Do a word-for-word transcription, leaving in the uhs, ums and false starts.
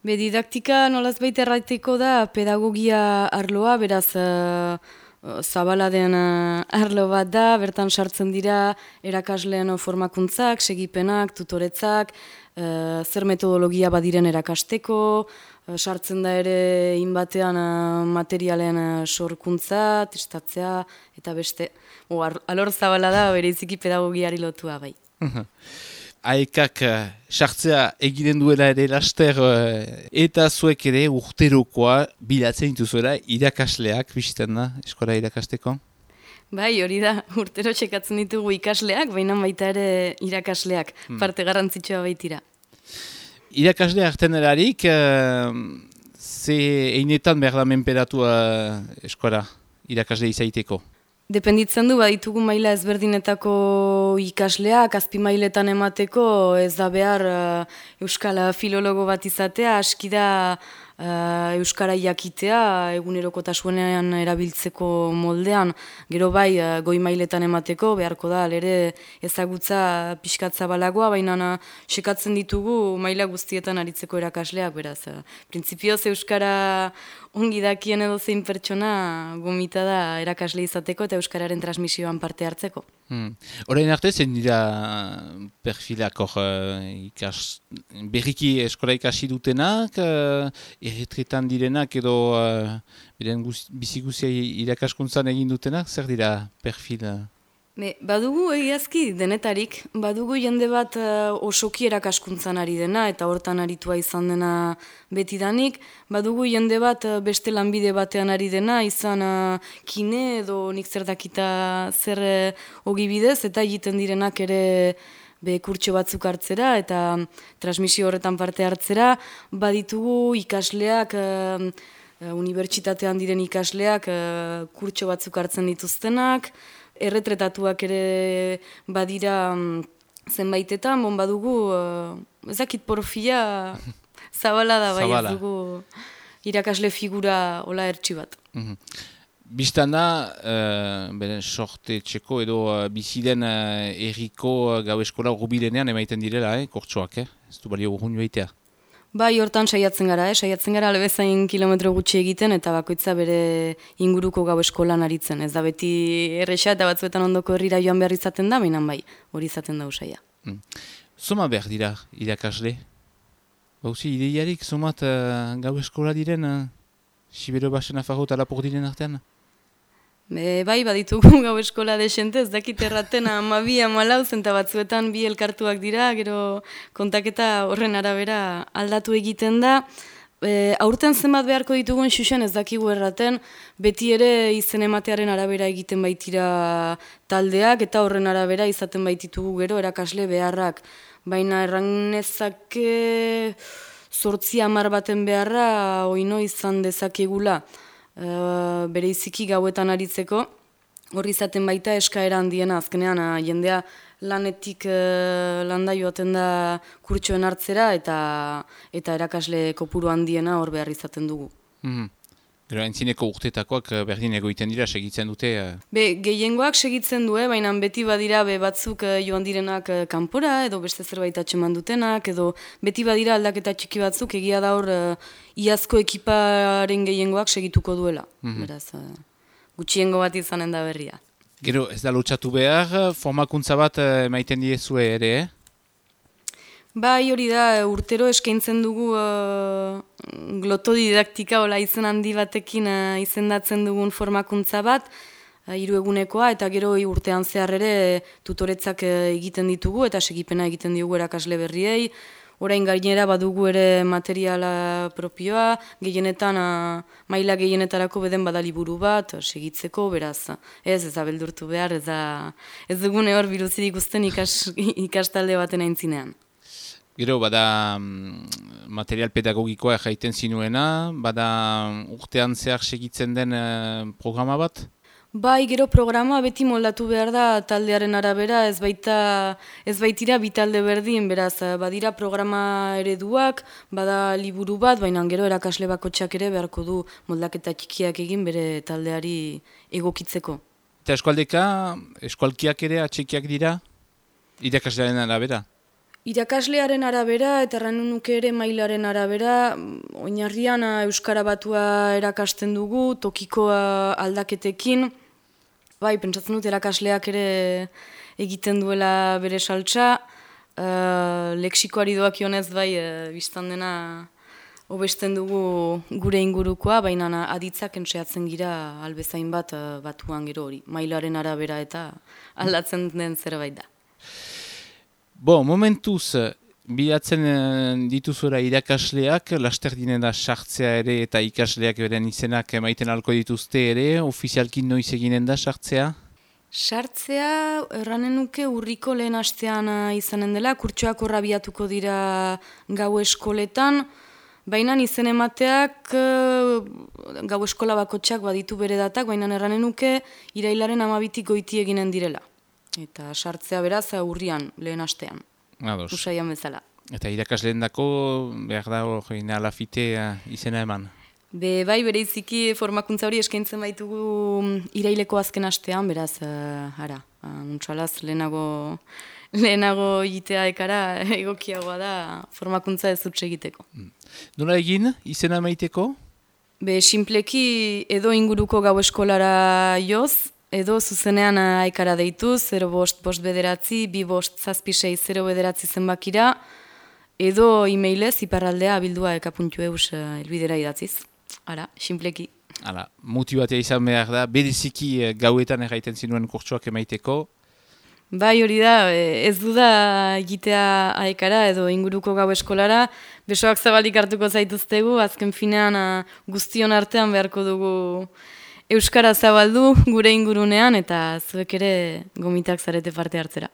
Be, didaktika nolaz baita erraiteko da pedagogia arloa, beraz uh, zabala den uh, arlo bat da, bertan sartzen dira erakasleen formakuntzak, segipenak, tutoretzak, uh, zer metodologia badiren erakasteko, uh, sartzen da ere inbatean uh, materialen uh, sorkuntza, testatzea, eta beste. O, alor zabala da, bereziki pedagogiari lotua bai. Aekak sartzea egiten duela ere laster eta zuek ere urterokoa bilatzen dituzuela irakasleak bistan da eskola irakasteko? Bai, hori da, urtero txekatzen ditugu ikasleak, baina baita ere irakasleak, hmm. parte garrantzitsua baitira. Irakasle hartzen erarik, ze einetan behar da menperatu eskola irakasle izaiteko? Dependitzen du, baditugu maila ezberdinetako ikasleak, azpi mailetan emateko, ez da behar uh, euskal filologo bat izatea, aski da uh, euskara jakitea, egunerokotasunean erabiltzeko moldean, gero bai uh, goi mailetan emateko, beharko da, ere ezagutza pixkatza balagoa, baina uh, sekatzen ditugu maila guztietan aritzeko erakasleak, beraz. Uh, Printzipioz euskara ongi dakien edo zein pertsona gomita da erakasle izateko eta euskararen transmisioan parte hartzeko. Hmm. Orain arte zen dira perfilak hor uh, ikas, berriki eskola ikasi dutenak, uh, erretretan direnak edo uh, beren biziguzia irakaskuntzan egin dutenak, zer dira perfil? Be, badugu egiazki denetarik, badugu jende bat uh, osoki erakaskuntzan ari dena eta hortan aritua izan dena betidanik, badugu jende bat uh, beste lanbide batean ari dena, izan uh, kine edo nik zer dakita zer uh, ogibidez eta egiten direnak ere be kurtso batzuk hartzera eta transmisio horretan parte hartzera, baditugu ikasleak, uh, uh, unibertsitatean diren ikasleak uh, kurtso batzuk hartzen dituztenak, erretretatuak ere badira um, zenbaitetan, bon badugu, uh, ezakit porfia zabala da bai, ez dugu irakasle figura hola ertsi bat. Mm-hmm. Bistan da, uh, beren sorte txeko edo uh, biziden uh, erriko uh, gau eskola urbilenean emaiten direla, eh, kortsoak, eh? Ez du balio urrun joaitea. Bai, hortan saiatzen gara, eh? saiatzen gara albezain kilometro gutxi egiten eta bakoitza bere inguruko gau eskolan aritzen. Ez da beti erresa eta batzuetan ondoko herrira joan behar izaten da, baina bai, hori izaten da usaia. Mm. Zoma behar dira irakasle? Bauzi, ideiarik zomat uh, gau eskola diren, uh, Sibero Basen Afarro eta Lapur diren artean? Be, bai, baditugu gau eskola desente, ez dakit erraten amabi amalau zenta batzuetan bi elkartuak dira, gero kontaketa horren arabera aldatu egiten da. E, aurten zenbat beharko ditugun xuxen ez dakigu erraten, beti ere izen ematearen arabera egiten baitira taldeak, eta horren arabera izaten baititugu gero erakasle beharrak. Baina erranezake zortzi hamar baten beharra oino izan dezakegula. Uh, bere iziki gauetan aritzeko, horri izaten baita eskaera handiena, azkenean uh, jendea lanetik uh, landa joaten da kurtsoen hartzera eta eta erakasle kopuru handiena hor behar izaten dugu. Mm-hmm. Gero entzineko urtetakoak berdin egoiten dira, segitzen dute? Uh... Be, gehiengoak segitzen du, baina beti badira be, batzuk uh, joan direnak uh, kanpora, edo beste zerbait atxeman dutenak, edo beti badira aldaketa txiki batzuk, egia da hor uh, iazko ekiparen gehiengoak segituko duela. Mm-hmm. Beraz, uh, gutxiengo bat izanen da berria. Gero ez da lotxatu behar, formakuntza bat uh, emaiten diezue ere, eh? Bai, hori da, urtero eskaintzen dugu uh, glotodidaktika hola izen handi batekin uh, izendatzen dugun formakuntza bat, uh, hiru egunekoa, eta gero urtean zehar ere tutoretzak uh, egiten ditugu eta segipena egiten diogu erakasle berriei. Orain gainera badugu ere materiala propioa, gehienetan, uh, maila gehienetarako beden badaliburu bat, segitzeko, beraz, ez, ez da beldurtu behar, ez, da, ez dugune hor biluzirik usten ikas, ikastalde baten aintzinean. Gero, bada material pedagogikoa jaiten zinuena, bada urtean zehar segitzen den uh, programa bat? Bai, gero programa beti moldatu behar da taldearen arabera, ez baita ez baitira bi talde berdin, beraz, badira programa ereduak, bada liburu bat, baina gero erakasle bakotxak ere beharko du moldaketa txikiak egin bere taldeari egokitzeko. Eta eskualdeka, eskualkiak ere atxekiak dira, irakaslearen arabera? Irakaslearen arabera eta erran nuke ere mailaren arabera, oinarrian euskara batua erakasten dugu, tokikoa aldaketekin. Bai, pentsatzen dut erakasleak ere egiten duela bere saltza, uh, lexikoari doakionez bai, uh, biztan dena hobesten dugu gure ingurukoa, baina aditzak entseatzen gira albezain bat uh, batuan gero hori, mailaren arabera eta aldatzen den zerbait da. Bo, momentuz, bilatzen dituzura irakasleak, laster dinena sartzea ere eta ikasleak beren izenak emaiten alko dituzte ere, ofizialki noiz eginen da sartzea? Sartzea, erranen nuke urriko lehen astean izanen dela, kurtsoak horra biatuko dira gau eskoletan, baina izen emateak gau eskola bakotxak baditu bere datak, baina erranen nuke irailaren amabitik goiti eginen direla. Eta sartzea beraz urrian, lehen astean. Ados. Usaian bezala. Eta irakasleen dako, behar da hori alafite izena eman? Be, bai, bereiziki formakuntza hori eskaintzen baitugu iraileko azken astean, beraz, uh, ara, untsalaz lehenago, lehenago egitea ekara egokiagoa da formakuntza ez utxe egiteko. Nola egin, izena maiteko? Be, sinpleki edo inguruko gau eskolara joz, edo zuzenean aikara deitu, zero bost bost bederatzi, bi bost zazpi sei zero bederatzi zenbakira, edo e-mailez iparraldea abildua eka puntu eus elbidera idatziz. Ara, sinpleki. Hala, motibatea izan behar da, bereziki gauetan erraiten zinuen kurtsoak emaiteko. Bai, hori da, ez du da egitea aikara edo inguruko gau eskolara, besoak zabalik hartuko zaituztegu, azken finean guztion artean beharko dugu euskara zabaldu gure ingurunean eta zuek ere gomitak zarete parte hartzera.